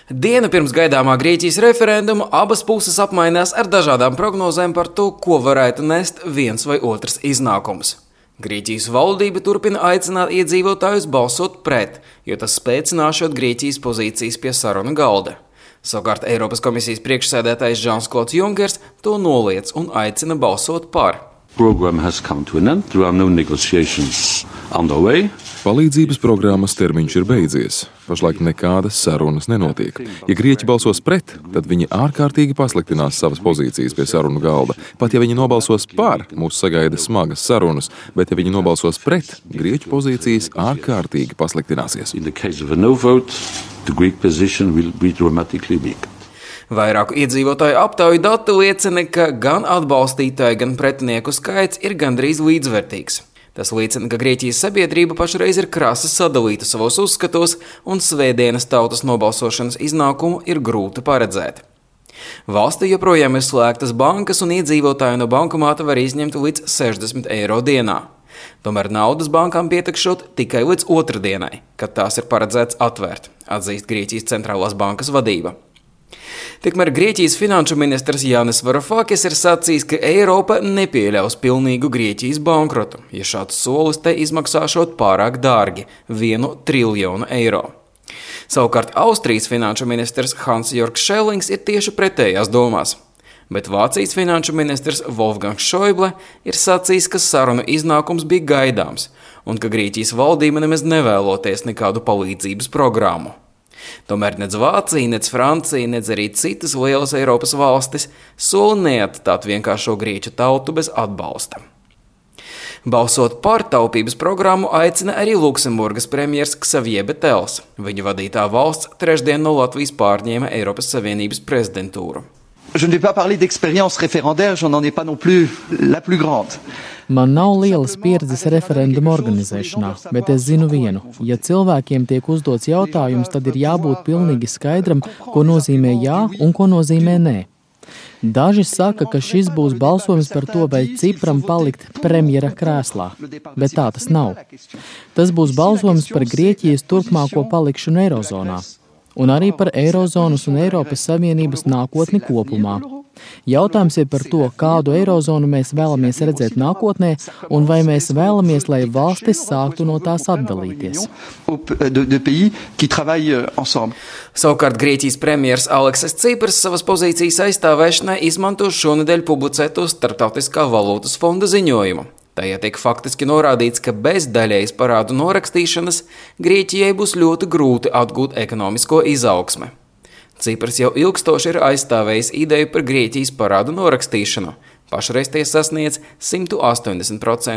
Dienu pirms gaidāmā Grieķijas referenduma abas puses apmainās ar dažādām prognozēm par to, ko varētu nest viens vai otrs iznākums. Grieķijas valdība turpina aicināt iedzīvotājus balsot pret, jo tas spēcināšot Grieķijas pozīcijas pie sarunu galda. Savukārt Eiropas komisijas priekšsēdētājs Žans-Klods Junkers to noliedz un aicina balsot par. Palīdzības programmas termiņš ir beidzies. Pašlaik nekādas sarunas nenotiek. Ja Grieķi balsos pret, tad viņi ārkārtīgi pasliktinās savas pozīcijas pie sarunu galda. Pat ja viņi nobalsos par, mūs sagaida smagas sarunas, bet ja viņi nobalsos pret, Grieķu pozīcijas ārkārtīgi pasliktināsies. Vairāku iedzīvotāju aptauju dati liecina, ka gan atbalstītāju, gan pretinieku skaits ir gandrīz līdzvērtīgs. Tas liecina, ka Grieķijas sabiedrība pašreiz ir krasi sadalīta savos uzskatos, un svētdienas tautas nobalsošanas iznākumu ir grūti paredzēt. Valstī joprojām ir slēgtas bankas, un iedzīvotāji no bankomāta var izņemt līdz 60 eiro dienā. Tomēr naudas bankām pietekšot tikai līdz otrdienai, kad tās ir paredzēts atvērt, atzīst Grieķijas centrālās bankas vadība. Tikmēr Grieķijas finanšu ministrs Jānis Varufakis ir sacījis, ka Eiropa nepieļaus pilnīgu Grieķijas bankrotu, ja šāds solis te izmaksāšot pārāk dārgi – 1 triljonu eiro. Savukārt Austrijas finanšu ministrs Hans-Jorgs Schellings ir tieši pretējās domās. Bet Vācijas finanšu ministrs Wolfgangs Schäuble ir sacījis, ka sarunu iznākums bija gaidāms un ka Grieķijas valdība nemaz nevēloties nekādu palīdzības programmu. Tomēr nec Vācija, nec Francija, nec arī citas lielas Eiropas valstis soli neatstāt vienkāršo grieķu tautu bez atbalsta. Balsot par taupības programmu aicina arī Luksemburgas premjers Xavier Betels. Viņa vadītā valsts trešdien no Latvijas pārņēma Eiropas Savienības prezidentūru. Je ne vais pas parler d'expérience référendaire, j'en ai pas non plus la plus grande. Man nav lielas pieredzes referendumu organizēšanā, bet es zinu vienu. Ja cilvēkiem tiek uzdots jautājums, tad ir jābūt pilnīgi skaidram, ko nozīmē jā un ko nozīmē nē. Daži saka, ka šis būs balsojums par to, vai Cipram palikt premjera krēslā, bet tā tas nav. Tas būs balsojums par Grieķijas turpmāko palikšanu Eirozonā. Un arī par Eirozonas un Eiropas Savienības nākotni kopumā. Jautājums ir par to, kādu Eirozonu mēs vēlamies redzēt nākotnē, un vai mēs vēlamies, lai valstis sāktu no tās atdalīties. Savukārt Grieķijas premjers Aleksis Tsipras savas pozīcijas aizstāvēšanai izmanto šonedēļ publicēto Starptautiskā valūtas fonda ziņojumu. Tajā tiek faktiski norādīts, ka bez daļējas parādu norakstīšanas Grieķijai būs ļoti grūti atgūt ekonomisko izaugsmi. Cipras jau ilgstoši ir aizstāvējis ideju par Grieķijas parādu norakstīšanu. Pašreiz tie sasniedz 180%.